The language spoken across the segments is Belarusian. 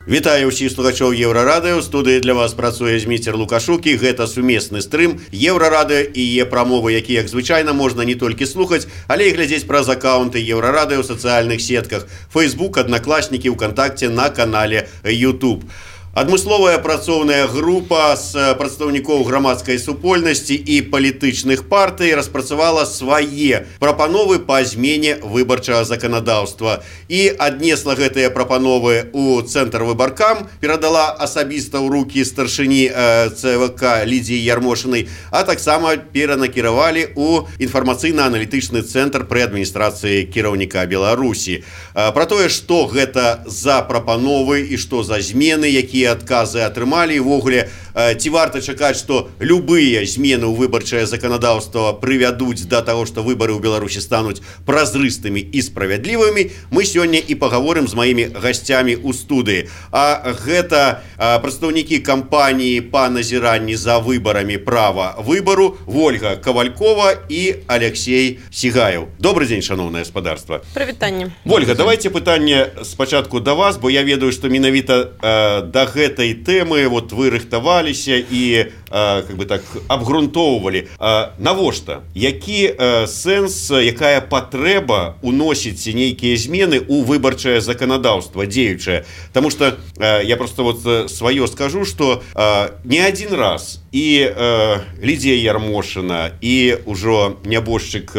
Вітаю ўсіх слухачоў Еўрарадыё. Студыі для вас працуе Зміцер Лукашук, і гэта сумесны стрым Еўрарадыё і яе прамовы, які, як звычайна, можна не толькі слухаць, але і глядзець праз акаунты Еўрарадыё ў сацыяльных сетках Facebook, Аднакласнікі, ВКонтакце, на канале YouTube. Адмысловая працоўная група з прадстаўнікоў грамадскай супольнасці і палітычных партый распрацавала свае прапановы па змене выбарчага заканадаўства і аднесла гэтыя прапановы ў цэнтр выбаркам, перадала асабіста ў рукі старшыні ЦВК Лідзіі Ярмошынай, а таксама перанакіравалі ў інфармацыйна-аналітычны цэнтр пры адміністрацыі кіраўніка Беларусі. Пра тое, што гэта за прапановы і што за змены, якія адказы атрымалі, і ввогуле ці варта чакаць, што любыя змены ў выбарчае заканадаўства прывядуць да таго, што выбары ў Беларусі стануць празрыстымі і справядлівымі, мы сёння і пагаворым з маімі гасцямі ў студыі. А гэта прадстаўнікі кампаніі па назіранні за выбарамі права выбару Вольга Кавалькова і Алексей Сігаев. Добрый дзень, шановнае гаспадарства. Прывітанне. Вольга, давайте пытанне спачатку да вас, бо я ведаю, што менавіта да гэтай тэмы вот вы рыхтаваліся і как бы так абгрунтоўвалі. Навошта? Які сэнс, якая патрэба уносіць нейкія змены ў выбарчае заканадаўства дзеючае? Таму што я просто вот сваё скажу, што не адзін раз і Лідзія Ярмошына, і ўжо нябожчык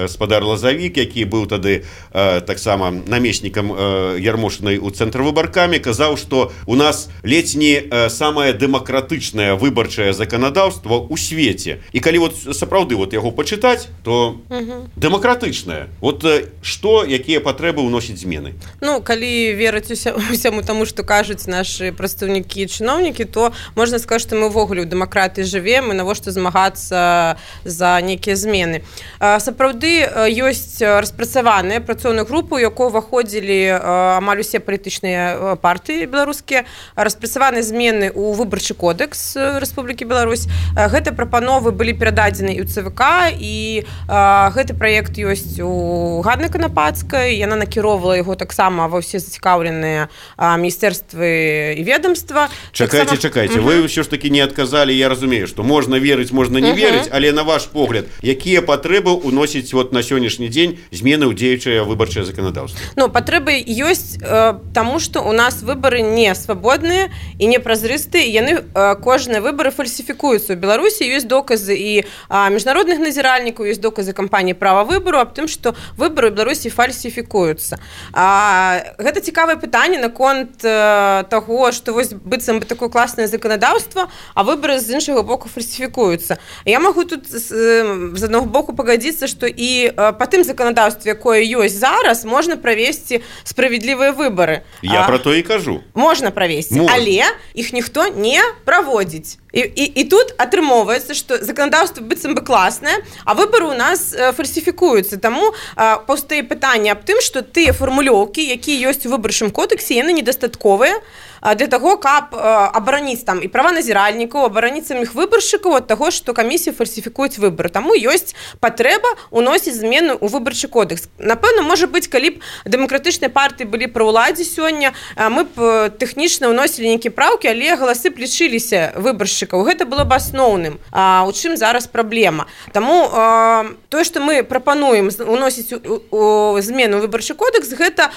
спадар Лазавік, які быў тады таксама намеснікам Ярмошынай у цэнтр выбаркамі, казаў, што у нас ледзь не самае дэмакратычнае выбарчае заканадаўства ў свеце. І калі вот сапраўды вот яго пачытаць, то дэмакратычнае. Вот што, якія патрэбы ўносіць змены? Ну, калі верыць усяму таму, што кажуць нашы прадстаўнікі і чыноўнікі, то можна сказаць, што мы ўвогуле ў дэмакратыі жывем, і навошта змагацца за нейкія змены. Сапраўды ёсць распрацаваныя працоўную групу, у якой уваходзілі амаль усе палітычныя партыі беларускія, распрацаваны змены ў выбарчы кодекс Рэспублікі Беларусь. Гэты прапановы былі перададзены і ў ЦВК, і гэты праект ёсць у Ганны Канапацкай. Яна накіроўвала яго таксама ва ўсе зацікаўленыя міністэрствы і ведомства. Чакайце, вы ўсё ж такі не адказалі. Я разумею, што можна верыць, можна не верыць, але на ваш погляд, якія патрэбы ўносіць вот на сённяшні дзень змены ў дзеючае выбарчае заканадаўства? Ну, патрэбы ёсць таму, што у нас выбары не свабодныя і не празрыстыя, і яны кожныя выбары фальсіфікуюцца. У Беларусі ёсць доказы і міжнародных назіральнікаў, ёсць доказы кампаніі права выбару аб тым, што выбары ў Беларусі фальсіфікуюцца. Гэта цікавае пытанне наконт таго, што вось быццам бы такое класнае заканадаўства, а выбары з іншага боку фальсіфікуюцца. Я магу тут з аднаго боку пагадзіцца, што і па тым заканадаўстве, якое ёсць зараз, можна правесці справядлівыя выбары. Я пра то і кажу. Можна правесці, але іх ніхто не праводзіць. І тут атрымоўваецца, што заканадаўства быццам бы класнае, а выбары ў нас фальсіфікуюцца. Таму паўстае пытанне аб тым, што тыя фармулёўкі, якія ёсць у выбарчым кодексе, яны недастатковыя для таго, каб абараніць там і права назіральнікаў, абараніць саміх выбаршчыкаў ад таго, што камісія фальсіфікуюць выбары. Таму ёсць патрэба ўносіць змены ў выбарчы кодекс. Напэўна, можа быць, калі б дэмакратычныя партыі былі пры ўладзе сёння, мы б тэхнічна ўносілі нейкія праўкі, але галасы б лічыліся выбаршчыкаў. Гэта было б асноўным. У чым зараз праблема? Таму тое, што мы прапануем ўносіць змены ў выбарчы кодекс, гэта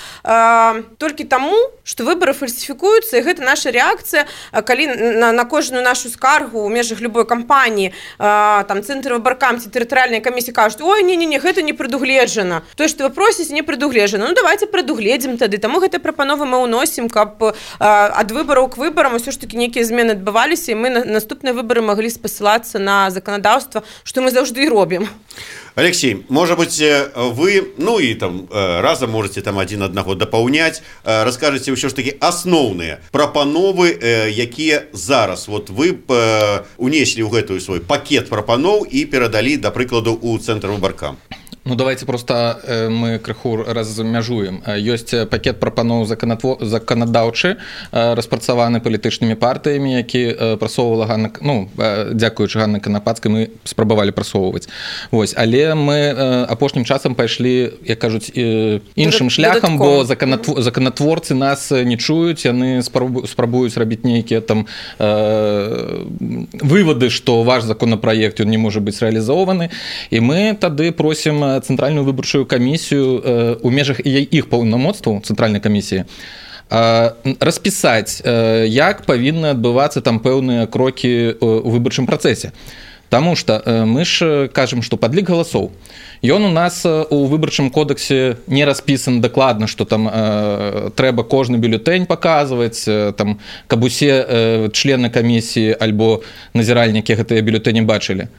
толькі таму, што выбары фальсіфікуюцца, і гэта наша рэакцыя, калі на кожную нашу скаргу ў межах любой кампаніі там цэнтр выбаркам ці тэрытарыяльныя камісіі кажуць: ой, не, гэта не прадугледжана. Тое, што вы просіце, не прадугледжана. Ну, давайте прадугледзім тады. Таму гэтыя прапановы мы ўносім, каб ад выбараў к выбарам усё ж такі нейкія змены адбываліся, і мы на наступныя выбары маглі спасылацца на заканадаўства, што мы заўжды і робім. Алексей, может быть, вы, ну и там разом можете там один одного дапаўняць, расскажете ўсё ж таки асноўныя прапановы, якія зараз вот вы унеслі ў гэтую свой пакет прапаноў і перадалі, да прыкладу, у цэнтр выбаркам. Ну, давайте просто мы крыху размяжуем. Ёсць пакет прапаноў заканадаўчы, распрацаваны палітычнымі партыямі, які прасоўвала Ганна, ну, дзякуючы Ганны Канапацкай, мы спрабавалі прасоўваць. Вось, але мы апошнім часам пайшлі, як кажуць, іншым шляхам, бо законатворцы нас не чуюць, яны спрабуюць рабіць нейкія там вывады, што ваш законапраект ён не можа быць рэалізаваны, і мы тады просім Цэнтральную выбарчую камісію у межах іх паўнамоцтваў цэнтральнай камісіі распісаць, як павінны адбывацца там пэўныя крокі ў выбарчым працэсе. Таму што мы ж кажам, што падлік галасоў. Ён у нас у выбарчым кодексе не распісан дакладна, што там трэба кожны бюлетэнь паказваць, там, каб усе члены камісіі альбо назіральнікі гэтыя бюлетэні бачылі.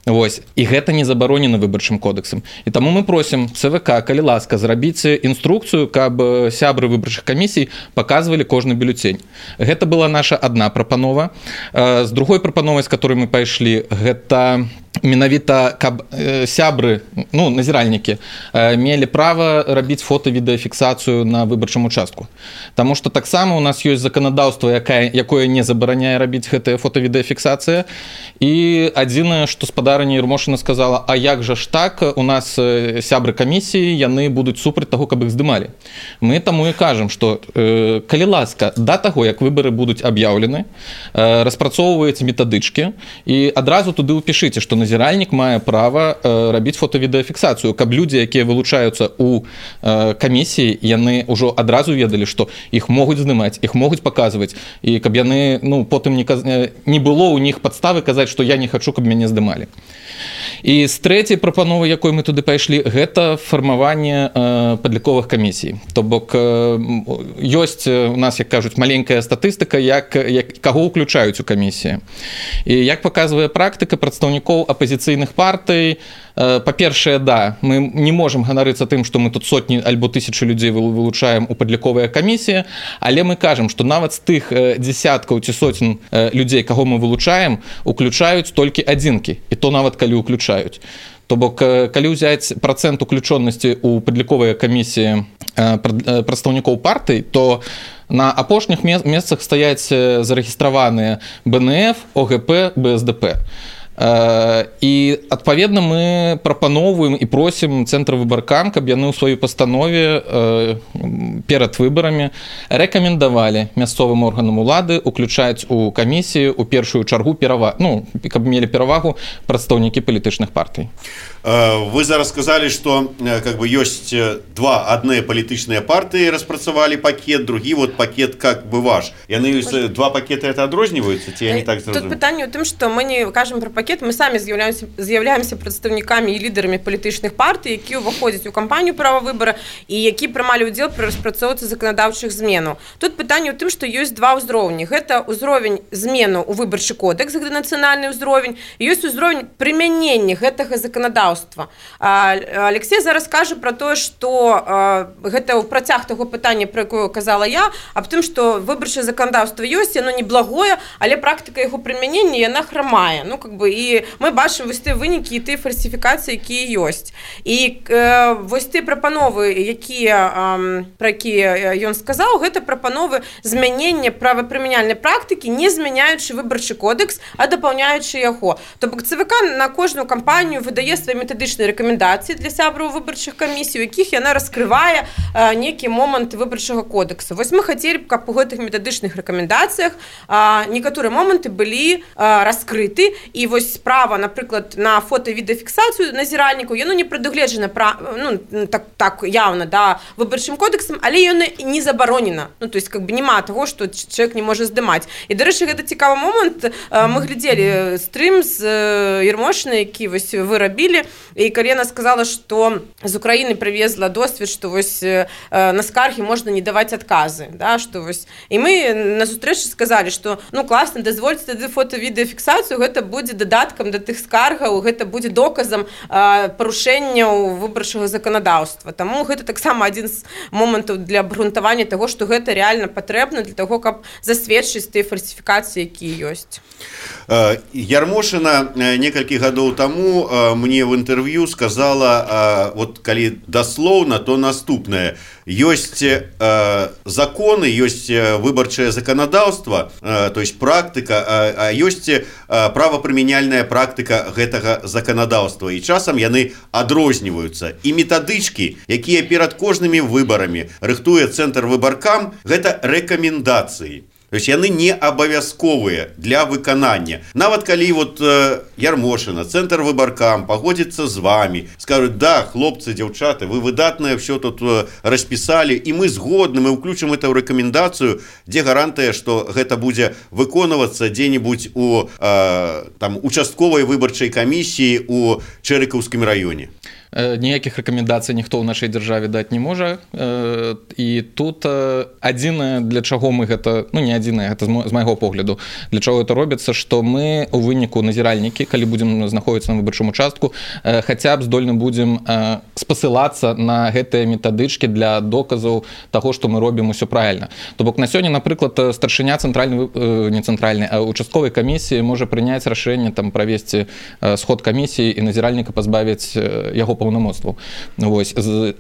Вось. І гэта не забаронена выбарчым кодексам. І таму мы просім ЦВК, калі ласка, зрабіць інструкцыю, каб сябры выбарчых камісій паказвалі кожны бюлетень. Гэта была наша адна прапанова. З другой прапановай, з которой мы пайшлі, гэта менавіта, каб сябры, ну, назіральнікі, мелі права рабіць фота-відэафіксацыю на выбарчым участку. Таму што таксама у нас ёсць заканадаўства, якое не забараняе рабіць гэтая фота-відэафіксацыя. І адзінае, што спадарыня Ермошына сказала, а як жа ж так, у нас сябры камісіі, яны будуць супраць таго, каб іх здымалі. Мы таму і кажам, што калі ласка, да таго, як выбары будуць аб'яўлены, распрацоўваеце метадычкі і адразу туды ўпішыце, што назіральнік мае права рабіць фота-відэафіксацыю, каб людзі, якія вылучаюцца ў камісіі, яны ўжо адразу ведалі, што іх могуць здымаць, іх могуць паказваць, і каб яны, ну, потым не было ў них падставы казаць, што я не хачу, каб мяне здымалі. І з трэцяй прапановы, якой мы туды пайшлі, гэта фармаванне падліковых камісій. То бок ёсць у нас, як кажуць, маленькая статыстыка, каго ўключаюць у камісіі. І як паказвае практыка прадстаўнікоў апазіцыйных партый, па-першае, да, мы не можам ганарыцца тым, што мы тут сотні альбо тысячы людзей вылучаем у падліковыя камісіі, але мы кажам, што нават з тых дзесяткаў ці сотень людзей, каго мы вылучаем, уключаюць толькі адзінкі, і то нават калі уключаюць. То бок, калі ўзяць працэнт уключонасці ў падліковыя камісіі прадстаўнікоў партый, то на апошніх месцах стаяць зарэгістраваныя БНФ, ОГП, БСДП. І адпаведна мы прапаноўваем і просім цэнтр выбаркам, каб яны ў сваёй пастанове перад выбарамі рэкамендавалі мясцовым органам улады уключаць у камісію у першую чаргу каб мелі перавагу прадстаўнікі палітычных партый. Вы зараз сказалі, што как бы ёсць адныя палітычныя партыі распрацавалі пакет, другі вот пакет как бы ваш. Яны два пакеты это адрозніваюцца ці я не так зразумеў? Тут пытанне ў тым, што мы не кажам пра пакет, мы самі з'яўляемся прадстаўнікамі і лідарамі палітычных партый, які ўваходзяць у кампанію права выбара і які прымалі ўдзел пры распрацоўцы заканадаўчых зменаў. Тут пытанне ў тым, што ёсць два ўзроўні. Гэта ўзровень змену ў выбарчы кодекс, гэта нацыянальны ўзровень, і ёсць ўзровень прымянення гэтага заканадаўства. Алексей зараз кажа пра тое, што гэта ў працяг таго пытання, пра якое казала я, аб тым, што выбарчае заканадаўства ёсць, яно неблагое, але практыка яго прымянення яна храмае. Ну, как бы, і мы бачым вось тыя вынікі і тыя фальсіфікацыі, якія ёсць. І вось тыя прапановы, пра якія ён сказаў, гэта прапановы змянення правапрымяняльнай практыкі, не змяняючы выбарчы кодекс, а дапаўняючы яго. То бок ЦВК на кожную кампанію выдае свае метадычныя рэкамендацыі для сябраў выбарчых камісій, у якіх яна раскрывае нейкі момант выбарчага кодекса. Вось мы хацелі б, каб у гэтых метадычных рэкамендацыях некаторыя моманты былі раскрыты, і вось справа, напрыклад, на фота-відэафіксацыю назіральнікаў, яно не прадугледжана так явна, да, выбарчым кодексам, але яно не забаронена. Ну, то есть, как бы, няма таго, што чалавек не можа здымаць. І, дарэчы, гэта цікавы момант. Мы глядзелі стрым з Ермошынай, які вось вы рабілі, і калі яна сказала, што з Украіны прывезла досвед, што вось на скаргі можна не даваць адказы, да, што вось. І мы на сустрэчы сказалі, што ну класна, дазвольце тады фота-відэафіксацыю, гэта будзе дадаць дадаткам да тых скаргаў, гэта будзе доказам парушэнняў выбарчага заканадаўства. Таму гэта таксама адзін з момантаў для абгрунтавання таго, што гэта реально патрэбна для таго, каб засведчыць тыя фальсіфікацыі, якія ёсць. Ярмошына некалькі гадоў таму мне в інтэрв'ю сказала, вот калі даслоўна, то наступнае. Ёсць законы, ёсць выбарчае заканадаўства, то есть практыка, а ёсць правапрымяняльная практыка гэтага заканадаўства. І часам яны адрозніваюцца. І метадычкі, якія перад кожнымі выбарамі рыхтуе Цэнтр выбаркам, гэта рэкамендацыі. То есть яны не абавязковыя для выканання. Нават калі вот Ярмошына, Цэнтр выбаркам пагодзіцца з вами, скажуць: да, хлопцы, дзяўчаты, вы выдатнае все тут распісалі, і мы згодны, мы ўключым это ў рэкамендацыю, дзе гарантыя, што гэта будзе выконвацца дзе-небудзь у участковай выбарчай камісіі у Чэрыкаўскім раёне. Ніякіх рэкамендацый ніхто ў нашай дзяржаве даць не можа. І тут адзінае, для чаго мы гэта, не адзінае, гэта з майго погляду, для чаго гэта робіцца, што мы у выніку назіральнікі, калі будзем знаходзіцца на выбарчым участку, хаця б здольны будзем спасылацца на гэтыя метадычкі для доказаў таго, што мы робім усё правільна. То бок на сёння, напрыклад, старшыня участковай камісіі можа прыняць рашэнне правесці сход камісіі і назіральніка пазбавіць яго паўнамоцтваў.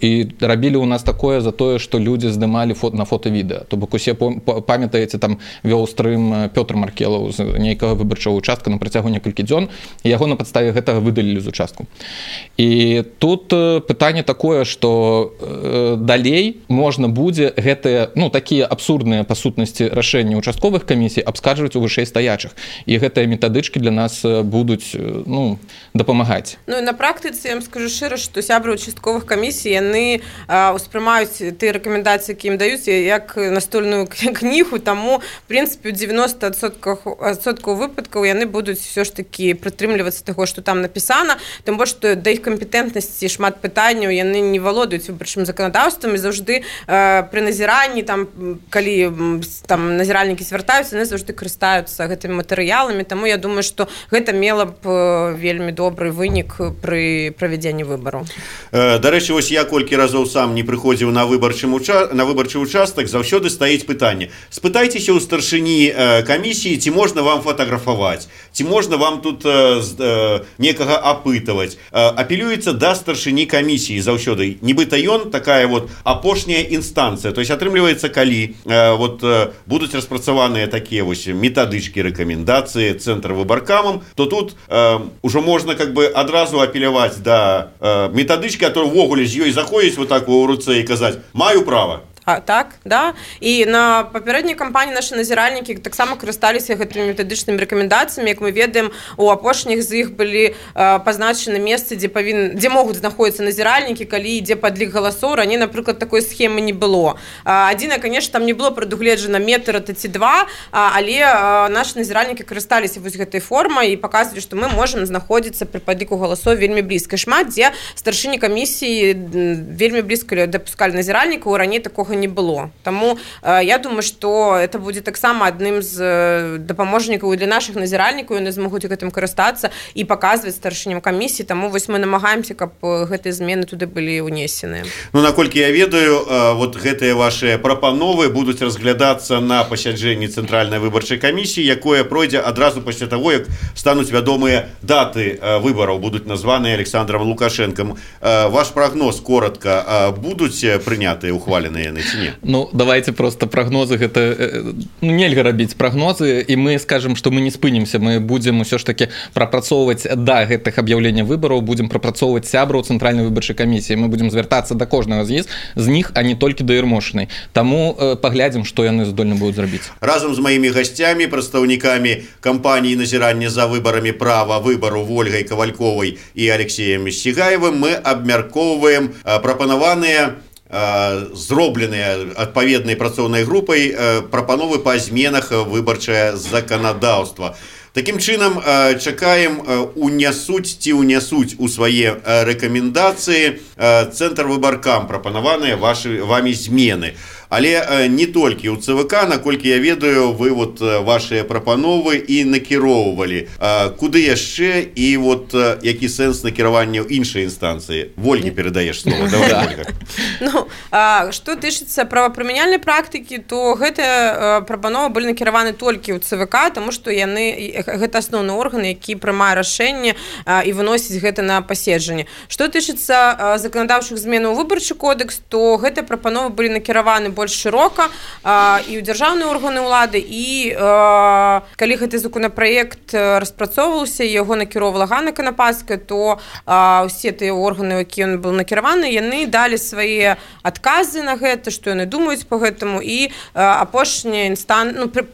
І рабілі ў нас такое за тое, што людзі здымалі на фота-відэа. То бок усе памятаеце, вёў стрым Пётр Маркелаў з нейкага выбарчага участка на працягу некалькі дзён, і яго на падставе гэтага выдалілі з участку. І тут пытанне такое, што далей можна будзе гэтыя, такія абсурдныя па сутнасці рашэнні участковых камісій абскарджваць у вышэй стаячых. І гэтыя метадычкі для нас будуць дапамагаць. І на практыцы, я вам скажу шчыра, што сябры участковых камісій, яны ўспрымаюць тыя рэкамендацыі, які ім даюць, як настольную кнігу, таму, в прынцыпе, у 90% выпадкаў яны будуць все ж такі прытрымлівацца таго, што там напісана, тым больш, што да іх кампетэнтнасці шмат пытанняў, яны не валодаюць выбарчым заканадаўствам, і заўжды пры назіранні, калі назіральнікі звяртаюцца, яны заўжды карыстаюцца гэтымі матэрыяламі, таму я думаю, што гэта мела б вельмі добры вынік пры правядзенні выбараў. Дарэчы, вось я колькі разоў сам не прыходзіў на выбарчы участак, заўсёды стаіць пытанне: спытайцеся ў старшыні камісіі, ці можна вам фатаграфаваць, ці можна вам тут некага апытаваць. Апелюецца да старшыні камісіі заўсёды. Нібыта ён такая вот апошняя інстанцыя. То есть атрымліваецца, калі будуць распрацаваныя такія вось метадычкі, рэкамендацыі Цэнтр выбаркамам, то тут ужо можна адразу апеляваць да метадычкі, которые ўвогуле з ёй заходзіць вот так у руцэ і казаць: маю права. Так, да. І на папярэдняй кампаніі нашы назіральнікі таксама карысталіся гэтымі метадычнымі рэкамендацыямі. Як мы ведаем, у апошніх з іх былі пазначаны месцы, дзе могуць знаходзіцца назіральнікі, калі ідзе падлік галасоў. Раней, напрыклад, такой схемы не было. Адзінае, конечно, там не было прадугледжана метр ці два, але нашы назіральнікі карысталіся вось гэтай формай і паказвалі, што мы можам знаходзіцца пры падліку галасоў вельмі блізка. Шмат дзе старшыні камісіі вельмі блізка дапускалі назіральнікаў, раней такога не было. Таму я думаю, што это будзе таксама адным з дапаможнікаў для нашых назіральнікаў, яны змогуць гэтым карыстацца і паказваць старшыням камісіі, таму вось мы намагаемся, каб гэтыя змены туды былі ўнесеныя. Наколькі я ведаю, вот гэтыя вашыя прапановы будуць разглядацца на пасяджэнні Цэнтральнай выбарчай камісіі, якое пройдзе адразу пасля таго, як стануць вядомыя даты выбараў, будуць названыя Александром Лукашенком. Ваш прагноз коротка, будуць прынятыя, ухваленыя яны? Давайте просто прогнозы, гэта нельга рабіць прогнозы, і мы скажем, што мы не спынімся, мы будзем усё ж таки прапрацоўваць да гэтых аб'яўлення выбараў, будзем прапрацоўваць сябраў Цэнтральнай выбарчай камісіі, мы будзем звяртацца да кожнага з них, а не толькі да Ярмошынай. Таму паглядзім, што яны здольны будуць зрабіць. Разам з маімі гасцямі, прадстаўнікамі кампаніі назірання за выбарамі права выбару Ольгай Кавальковай і Алексеем Сігаевым мы абмяркоўваем прапанаваныя зробленыя адпаведнай працоўнай групай прапановы па зменах выбарчае заканадаўства. Такім чынам, чакаем, унясуць у свае рэкамендацыі Цэнтр выбаркам прапанаваныя вамі змены. Але не толькі ў ЦВК, наколькі я ведаю, вы вот вашыя прапановы і накіроўвалі. Куды яшчэ і вот які сэнс накіравання ў іншай інстанцыі? Вольге перадаеш слово. Давай, Ольга. Ну, што тычыцца правапрымяняльнай практыкі, то гэтыя прапановы былі накіраваны толькі ў ЦВК, таму што гэта асноўны орган, які прымае рашэнне і выносіць гэта на паседжанне. Што тычыцца заканадаўчых зменаў у выбарчы кодекс, то гэтыя прапановы былі накіраваны больш шырока і ў дзяржаўныя органы ўлады, і калі гэты законапраект распрацоўваўся, яго накіроўвала Ганна Канападская, то ўсе тыя органы, які ён быў накіраваны, яны далі свае адказы на гэта, што яны думаюць па гэтаму, і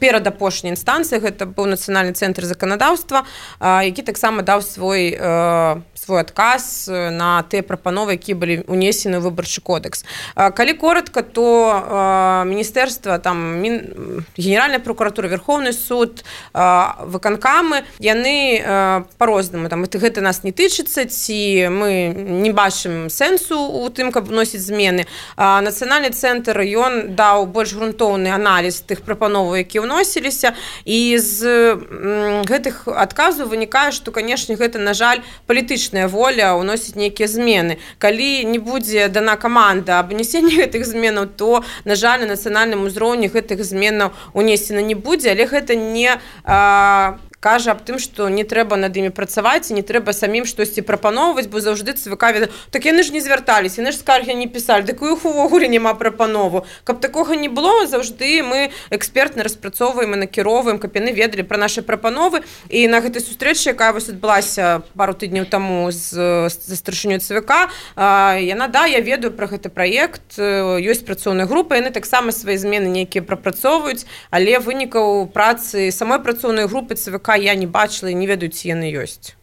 перад апошняй інстанцыі гэта быў Нацыянальны цэнтр заканадаўства, які таксама даў свой адказ на тыя прапановы, якія былі унесены ў выбарчы кодекс. Калі коротко, то міністэрства, Генеральная прокуратура, Верховны суд, выканкамы, яны по-рознаму, гэта нас не тычыцца, ці мы не бачым сэнсу у тым, каб вносіць змены. Нацыянальны цэнтр, ён даў больш грунтоўны аналіз тых прапановаў, якія ўносіліся, і з гэтых адказаў вынікае, што, канешне, гэта, на жаль, палітычная воля ўносіць нейкія змены. Калі не будзе дана каманда аб унесенні гэтых зменаў, то, на жаль, на нацыянальным узроўні гэтых зменаў унесена не будзе, але гэта не кажа аб тым, што не трэба над імі працаваць, і не трэба самім штосьці прапаноўваць, бо заўжды ЦВК ведае, так яны ж не звярталіся, яны ж скаргі не пісалі, так у іх увогуле няма прапанову. Каб такога не было, заўжды мы экспертна распрацоўваем і накіроўваем, каб яны ведалі пра нашы прапановы. І на гэтай сустрэчы, якая вось адбылася пару тыдняў таму з старшынёй ЦВК, яна, я ведаю пра гэты праект, ёсць працоўная група, яны таксама свае змены нейкія прапрацоўваюць, але вынікаў працы самой працоўнай групы ЦВК я не бачила і не ведаю, ці яны ёсць.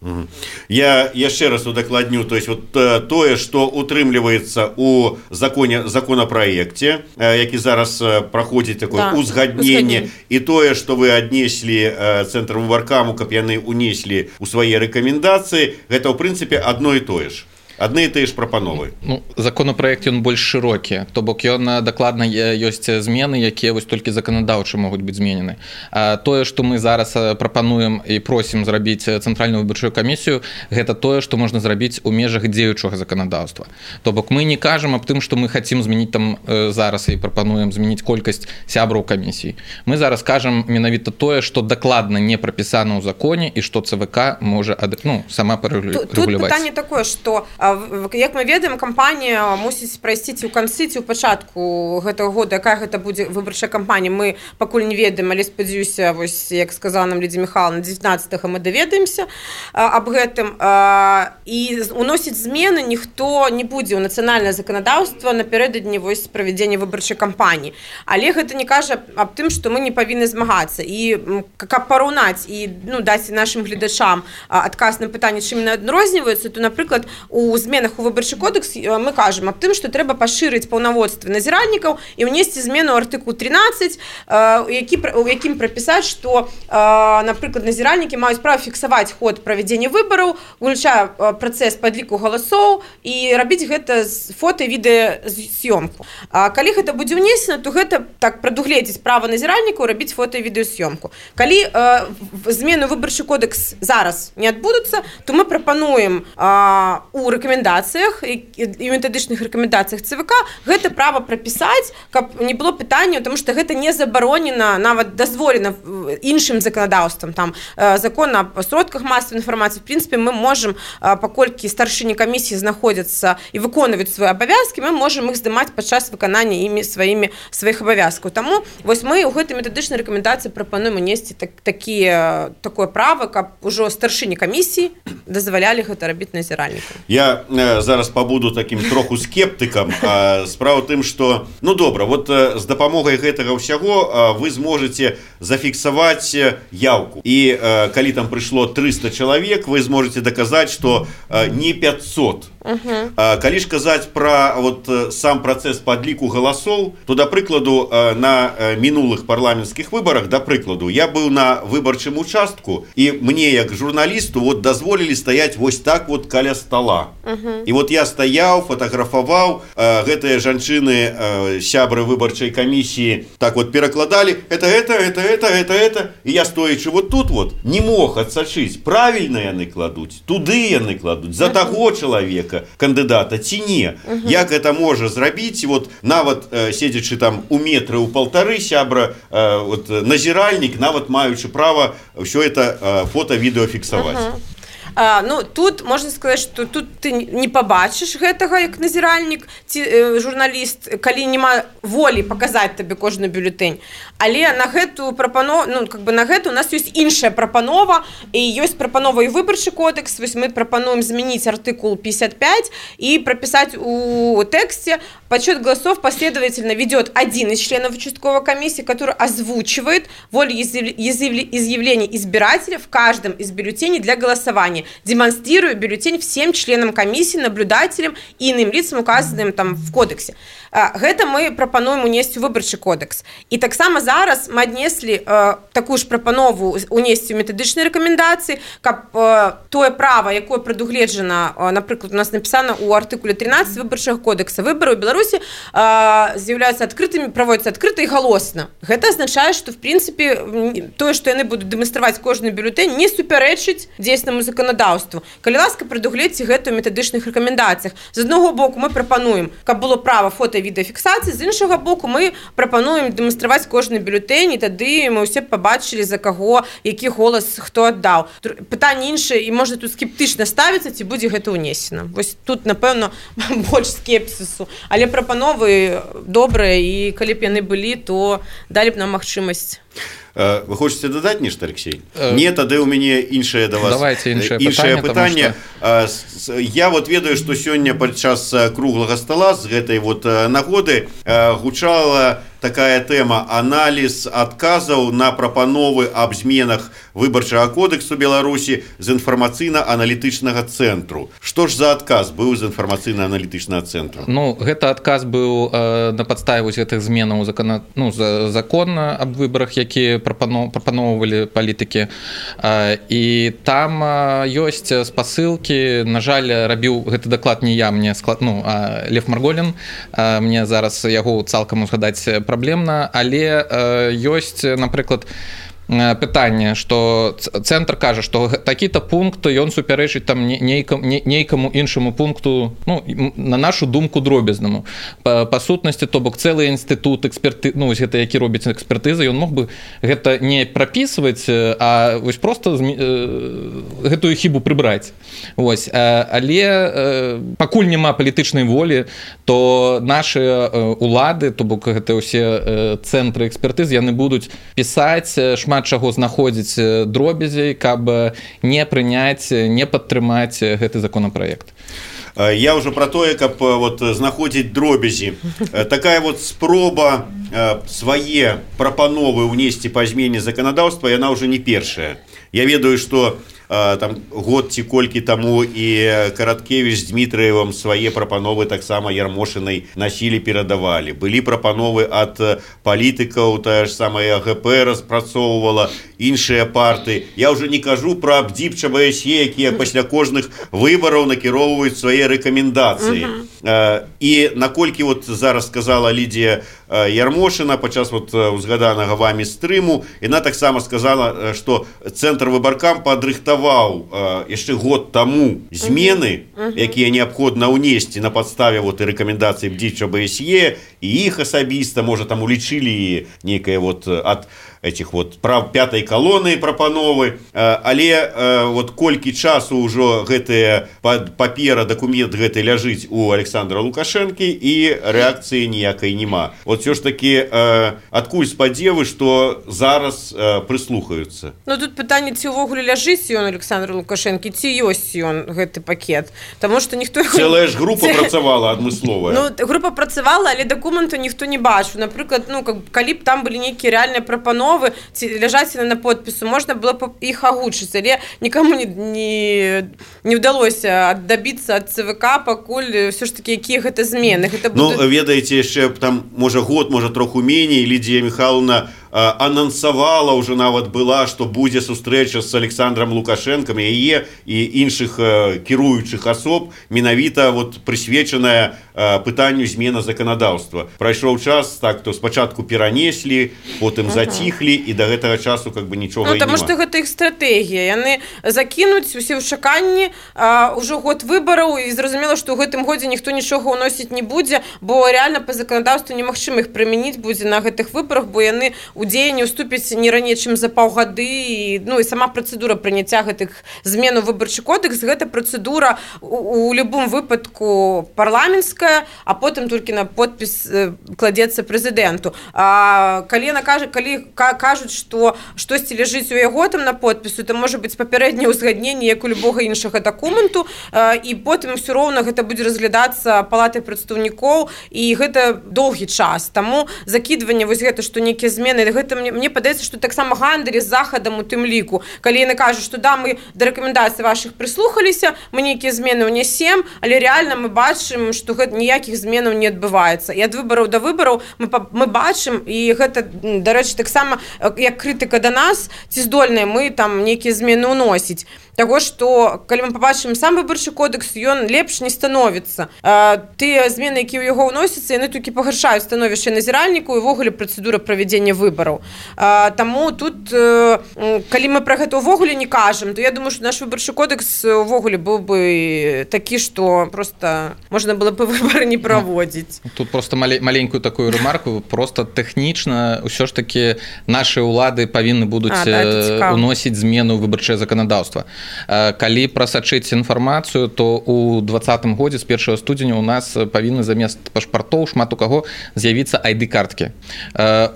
Я яшчэ раз удакладню, то есть вот тое, што утрымліваецца у законапраекце, які зараз праходзіць такое узгадненне, і тое, што вы аднеслі цэнтр выбаркаму, каб яны унеслі ў свае рэкамендацыі, гэта ў прынцыпе адно і тое ж. Адны і тыя ж прапановы. Законапраект ён больш шырокі, то бок ён дакладна ёсць змены, якія вось толькі заканадаўча могуць быць зменены. Тое, што мы зараз прапануем і просім зрабіць цэнтральную выбарчую камісію, гэта тое, што можна зрабіць у межах дзеючага заканадаўства. То бок мы не кажам аб тым, што мы хацім змяніць там зараз і прапануем змяніць колькасць сябраў камісій. Мы зараз кажам менавіта тое, што дакладна не прапісана ў законе і што ЦВК можа сама парэгуляваць. Тут пытанне такое, што як мы ведаем, кампанія мусіць прайсці ці ў канцы, ці ў пачатку гэтага года, якая гэта будзе выбарчая кампанія, мы пакуль не ведаем, але спадзяюся, вось як сказала нам Лідія Михайловна, 19-го мы даведаемся аб гэтым, і уносіць змены ніхто не будзе ў нацыянальнае заканадаўства напярэдадні вось правядзення выбарчай кампаніі. Але гэта не кажа аб тым, што мы не павінны змагацца. І каб параўнаць і даць нашым гледачам адказ на пытанне, чым яны адрозніваюцца, то, напрыклад, у зменах у выбарчы кодекс мы кажам аб тым, што трэба пашырыць паўнаводствы назіральнікаў і ўнесці змену ў артыкул 13, у якім прапісаць, што, напрыклад, назіральнікі маюць права фіксаваць ход правядзення выбараў, уключае працэс падліку галасоў і рабіць гэта з фота і відэаз'ёмку. Калі гэта будзе ўнесена, то гэта так прадугледзіць права назіральнікаў рабіць фота і відэаз'ёмку. Калі змены ў выбарчы кодекс зараз не адбудуцца, то мы прапануем у рэкамендацыях і метадычных рэкамендацыях ЦВК гэта права прапісаць, каб не было пытанняў, тому што гэта не забаронена, нават дазволена іншым заканадаўствам, там закон аб сродках масавай інфармацыі. В прынцыпе, мы можам, паколькі старшыні камісіі знаходзяцца і выконваюць свае абавязкі, мы можам іх здымаць падчас выканання імі сваіх абавязкаў. Таму вось мы ў гэтай метадычнай рэкамендацыі прапануем унесці такое права, каб ужо старшыні камісіі дазвалялі гэта рабіць назіральнікам. Я зараз пабуду таким троху скептыкам. Справа тым, што добра, вот з дапамогай гэтага ўсяго вы зможаце зафіксаваць яўку. І калі там прыйшло 300 чалавек, вы зможаце даказаць, што не 500. Калі ж казаць пра сам працэс падліку галасоў, то, да прыкладу, на мінулых парламенцкіх выбарах, да прыкладу, я быў на выбарчым участку, і мне, як журналісту, дазволілі стаяць вось так каля стола. І вот я стаяў, фотаграфаваў, гэтыя жанчыны, сябры выбарчай камісіі, так вот перакладалі, это, і я стоячы вот тут вот не мог адсачыць, правільна яны кладуць, туды яны кладуць, за таго чалавека, кандыдата, ці не. Як гэта можа зрабіць, вот нават седзячы там у метры, у паўтары сябра, вот, назіральнік, нават маючы права ўсё это фото-відэо фіксаваць. Ну, тут можна сказаць, што тут ты не пабачыш гэтага як назіральнік ці журналіст, калі няма волі паказаць табе кожны бюлетэнь. Але на гэту прапанову, ну, как бы на гэта у нас ёсць іншая прапанова, і ёсць прапанова і выбарчы кодекс. Вось мы прапануем змяніць артыкул 55 и прописать у тексте: подсчет голосов последовательно ведет один из членов участковой комиссии, который озвучивает волеизъявление избирателя в каждом из бюллетеней для голосования, демонстрируя бюллетень всем членам комиссии, наблюдателям и иным лицам, указанным там в кодексе. Гэта мы прапануем унесці ў выбарчы кодекс. І таксама зараз мы аднеслі такую ж прапанову унесці ў метадычныя рэкамендацыі, каб тое права, якое прадугледжана, напрыклад, у нас напісана ў артыкуле 13 выбарчага кодекса, выбары ў Беларусі з'яўляюцца адкрытымі, праводзяцца адкрыта і галосна. Гэта азначае, што в прынцыпе тое, што яны будуць дэманстраваць кожны бюлетэнь, не супярэчыць дзейснаму заканадаўству. Калі ласка, прадугледзьце гэта ў метадычных рэкамендацыях. З аднаго боку мы прапануем, каб было права фото відэафіксацыі, з іншага боку мы прапануем дэманстраваць кожны бюлетэнь, і тады мы ўсе пабачылі, за каго які голас хто аддаў. Пытанне іншае, і можна тут скептычна ставіцца, ці будзе гэта ўнесена. Вось тут, напэўна, больш скепсісу. Але прапановы добрыя, і калі б яны былі, то далі б нам магчымасць. Вы хочаце дадаць нешта, Алексей? Не, тады ў мяне іншае да вас. Давайте іншае пытанне. Я вот ведаю, што сёння падчас круглага стола з гэтай вот нагоды гучала такая тэма: аналіз адказаў на прапановы аб зменах выбарчага кодексу Беларусі з інфармацыйна-аналітычнага цэнтру. Што ж за адказ быў з інфармацыйна-аналітычнага цэнтру? Ну, гэта адказ быў на падставе вось гэтых зменаў закон аб выбарах, якія прапаноўвалі палітыкі. І там ёсць спасылкі. На жаль, рабіў гэты даклад не я, мне а Лев Марголін. Мне зараз яго цалкам узгадаць праблемна, але ёсць, напрыклад, пытанне, што цэнтр кажа, што такі-то пункт ён супярэчыць там нейкаму іншаму пункту, ну, на нашу думку, дробязнаму. Па сутнасці, то бок цэлы інстытут эксперты, ну, вось гэта які робіць экспертызы, ён мог бы гэта не прапісваць, а вось проста гэтую хібу прыбраць. Вось, але пакуль няма палітычнай волі, то нашы улады, то бок гэта ўсе цэнтры экспертыз, яны будуць пісаць шмат чаго знаходзіць дробязей, каб не прыняць, не падтрымаць гэты законапраект. Я ўжо пра тое, каб вот знаходзіць дробязі. Такая вот спроба свае прапановы ўнесці па змене заканадаўства, яна ўжо не першая. Я ведаю, што там год ці колькі таму і Караткевіч з Дмітраевым свае прапановы таксама Ярмошынай насілі, перадавалі. Былі прапановы ад палітыкаў, тая ж самая АГП распрацоўвала, іншыя парты. Я ўжо не кажу пра БДИП, ЧБСЕ, якія пасля кожных выбараў накіроўваюць свае рэкамендацыі. І наколькі вот зараз сказала Лідія Ярмошына падчас вот узгаданага вамі стрыму, яна таксама сказала, што цэнтр выбаркам падрыхтаваў яшчэ год таму змены, якія неабходна ўнесці на падставе вот і рэкамендацый БДИП, ЧБСЕ, і іх асабіста, можа, там улічылі нейкае вот ад этих вот прав пятой колонны прапановы, але вот колькі часу ўжо гэтая папера, дакумент гэты ляжыць у Александра Лукашэнкі, і рэакцыі ніякай няма. Вот все ж таки адкуль спадзевы, што зараз прыслухаюцца? Ну тут пытанне, ці ўвогуле ляжыць ён Александра Лукашэнкі, ці ёсць ён гэты пакет, таму што ніхто цэлая ж група працавала адмысловая. Ну група працавала, але дакументу ніхто не бачыў. Напрыклад, ну калі б там былі нейкія рэальныя прапановы, ці ляжаць на подпісу, можна было б іх агучыць, але нікому не ўдалося дабіцца ад ЦВК, пакуль ўсё ж такі якія гэта змены. Ну, ведаеце, яшчэ там можа год, можа троху меней, Лідія Михайловна анансавала уже нават была, что будзе сустрэча с Александром Лукашенком, яе і іншых кіруючых асоб менавіта вот прысвечаная пытанню змена законодаўства. Прайшоў час, так, то спачатку перанеслі, потым заціхлі, і да гэтага часу как бы нічога і нема. Таму што гэта іх стратэгія. Яны закінуць усе ў чаканні ўжо год выбараў, і зразумела, што ў гэтым годзе ніхто нічога ўносіць не будзе, бо рэальна па заканадаўству немагчыма іх прымяніць будзе на гэтых выбарах, бо яны ў дзеянне ўступяць не раней, чым за паўгады, і сама працэдура прыняцця гэтых змен у выбарчы кодекс, гэта працэдура у любым выпадку парламенцкая, а потым толькі на подпіс кладзецца прэзідэнту. Калі кажуць, што штосьці ляжыць у яго там на подпісу, то можа быць папярэдняе ўзгадненне, як у любога іншага дакументу, і потым ўсё роўна гэта будзе разглядацца палатай прадстаўнікоў, і гэта доўгі час. Таму закідванне вось гэта, што нейкія змены, гэта мне падаецца, што таксама гандаль з захадам у тым ліку. Калі яны кажуць, што да, мы да рэкамендацый вашых прыслухаліся, мы нейкія змены ўнясем, але рэальна мы бачым, што гэта ніякіх зменаў не адбываецца. І ад выбараў да выбараў мы бачым, і гэта, дарэчы, таксама як крытыка да нас, ці здольныя мы там нейкія змены ўносіць. Таго, што калі мы пабачым сам выбарчы кодекс, ён лепш не становіцца. Тыя змены, якія ў яго ўносяцца, яны толькі пагаршаюць становішча назіральніку і ўвогуле працэдура правядзення выбараў. Таму тут, калі мы пра гэта ўвогуле не кажам, то я думаю, што наш выбарчы кодекс ўвогуле быў бы такі, што проста можна было бы выбары не праводзіць. Тут просто маленькую такую ремарку, просто тэхнічна ўсё ж такі нашы ўлады павінны будуць уносіць змену ў выбарчае заканадаўства. Калі прасачыць інфармацыю, то у 2020 годзе з 1 студзеня у нас павінны замест пашпартоў шмат у каго з'явіцца ID-карткі.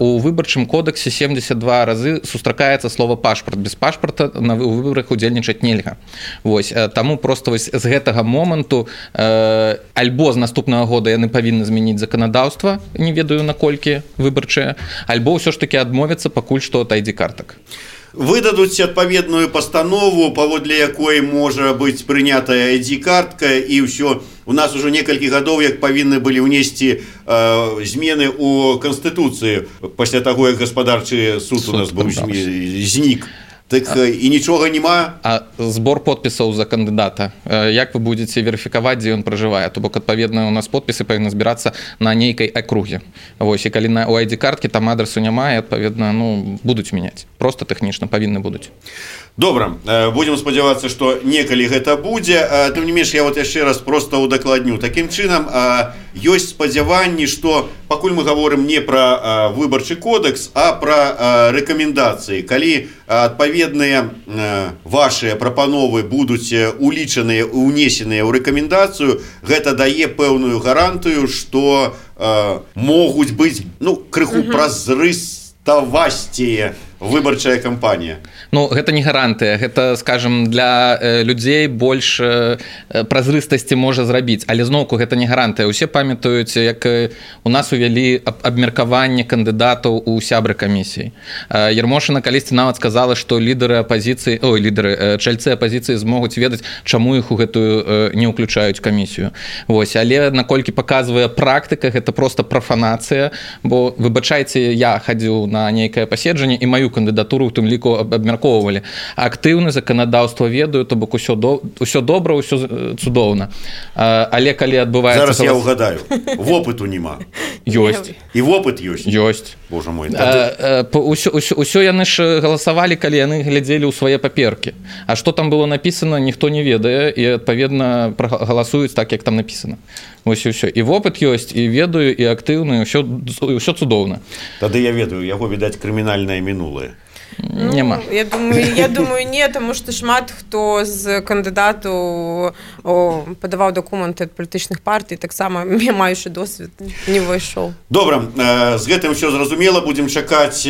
У выбарчым кодексе 72 разы сустракаецца слова пашпарт. Без пашпарта на выбарах удзельнічаць нельга. Вось, таму проста вось з гэтага моманту альбо з наступнага года яны павінны змяніць заканадаўства, не ведаю наколькі выбарчае, альбо ўсё ж такі адмовяцца пакуль што ад ID-картак. Выдадуць адпаведную пастанову, паводле якой можа быць прынятая ID-картка, і ўсё. У нас ужо некалькі гадоў, як павінны былі ўнесці змены ў Канстытуцыі пасля таго, як гаспадарчы суд у нас быў знік. Так і нічога няма. А збор подпісаў за кандыдата, як вы будзеце верыфікаваць, дзе ён пражывае? То бок, адпаведна, у нас подпісы павінны збірацца на нейкай акруге. Вось, і калі у ID-карткі там адресу няма, і адпаведна, будуць мяняць. Просто тэхнічна павінны будуць. Добра, будзем спадзявацца, што некалі гэта будзе. Тым не менш, я вот яшчэ раз проста ўдакладню. Такім чынам, ёсць спадзяванні, што пакуль мы гаворым не пра выбарчы кодекс, а пра рэкамендацыі. Калі адпаведныя вашыя прапановы будуць улічаныя, унесеныя ў рэкамендацыю, гэта дае пэўную гарантыю, што могуць быць крыху празрыставасцее выбарчая кампанія. Гэта не гарантыя, гэта, скажем, для людзей больш празрыстасці можа зрабіць, але зноўку гэта не гарантыя. Усе памятаюць, як у нас увялі абмеркаванне кандыдатаў у сябры камісіі. Ярмошына калісьці нават сказала, што чальцы апазіцыі змогуць ведаць, чаму іх у гэтую не ўключаюць камісію. Вось, але наколькі паказвае практыка, гэта проста прафанацыя, бо, выбачайце, я хадзіў на нейкае паседжанне і маю кандыдатуру у тым ліку абмяркоўвалі. Актыўны заканадаўства ведаю, то бок усё добра, ўсё цудоўна. Але калі адбываецца... Зараз я ўгадаю. Вопыту няма. Ёсць. І вопыт ёсць? Ёсць. Боже мой. Усё яны ж галасавалі, калі яны глядзелі ў свае паперкі. А што там было напісана, ніхто не ведае, і, адпаведна, галасуюць так, як там напісана. Вось і ўсё. І вопыт ёсць, і ведаю, і актыўны, ўсё цудоўна. Тады я ведаю, яго, відаць, крымінальнае мінулае. Няма. Я думаю, не, тому што шмат хто з кандыдатаў падаваў дакументы ад палітычных партый, таксама маючы досвед, не ўвайшоў. Добра, з гэтым ўсё зразумела, будзем чакаць,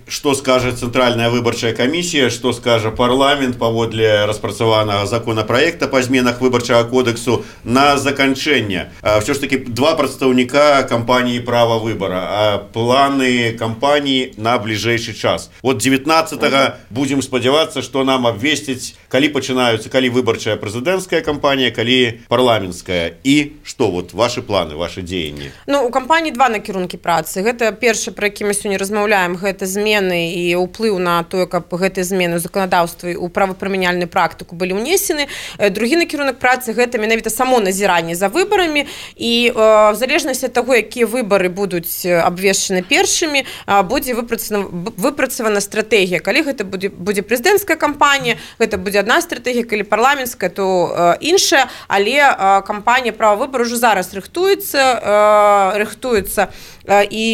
што скажа Цэнтральная выбарчая камісія, што скажа парламент паводле распрацаванага законапраекта па зменах выбарчага кодексу на заканчэнне. Ўсё ж такі два прадстаўніка кампаніі «Права выбара», а планы кампаніі на бліжэйшы час. вот 19-го будем спадзявацца, что нам обвесціць, калі пачынаюцца, калі выбарчая прэзідэнцкая кампанія, калі парламенцкая, і что вот ваши планы, ваши дзеянні? Ну, у кампаніі два накірункі працы. Гэта першы, пра які мы сёння размаўляем, гэта змены і ўплыў на тое, каб гэтыя змены ў заканадаўстве у правапрымяняльную практыку былі ўнесены. Другі накірунак працы гэта менавіта само назіранне за выбарамі, і в залежнасці ад таго, якія выбары будуць абвешчаны першымі, будзе выпрацавана стратэгія. Калі гэта будзе прэзідэнцкая кампанія, гэта будзе одна стратэгія, калі парламенцкая, то іншая, але кампанія права выбару ўжо зараз рыхтуецца і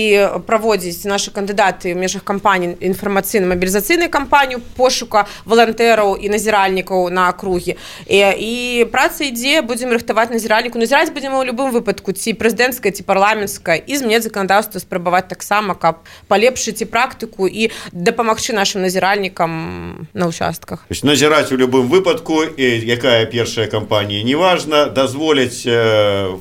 праводзіць нашы кандыдаты ў межах кампаніі інфармацыйна-мабілізацыйнай кампанію пошука валантэраў і назіральнікаў на акругі. І праца ідзе, будзем рыхтаваць назіральніку. Назіраць будзем у любым выпадку, ці прэзідэнцкая, ці парламенцкая, і змяняць заканадаўства спрабаваць таксама, каб палепшыць і практыку і дапамагчы нашим назіральнікам на участках. То есть назіраць у любым выпадку, якая першая кампанія, неважно, дазволяць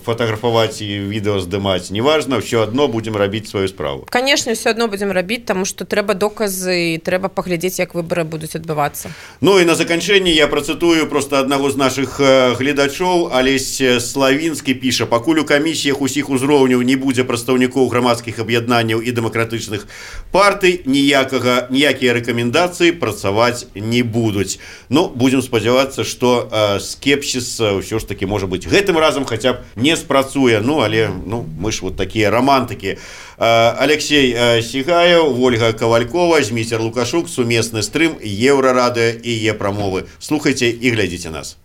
фотаграфаваць і відэо здымаць, неважно, все одно будем рабіць сваю справу. Конечно, все одно будем рабіць, таму што трэба доказы і трэба паглядзець, як выбары будуць адбывацца. Ну і на заканчэнне я працытую просто аднаго з нашых гледачоў. Алесь Славінскі піша: пакуль у камісіях усіх узроўняў не будзе прадстаўнікоў грамадскіх аб'яднанняў і дэмакратычных партый, ніякія рэкамендацыі працаваць не будуць. Ну, будзем спадзявацца, што скепсіс ўсё ж таки, можа быць, гэтым разам хаця б не спрацуе. Ну, але мы ж вот такія романтыкі. Алексей Сігаев, Ольга Ковалькова, Зміцер Лукашук, сумесны стрым Еўрарадыё і Е-прамовы. Слухайце і глядзіце нас.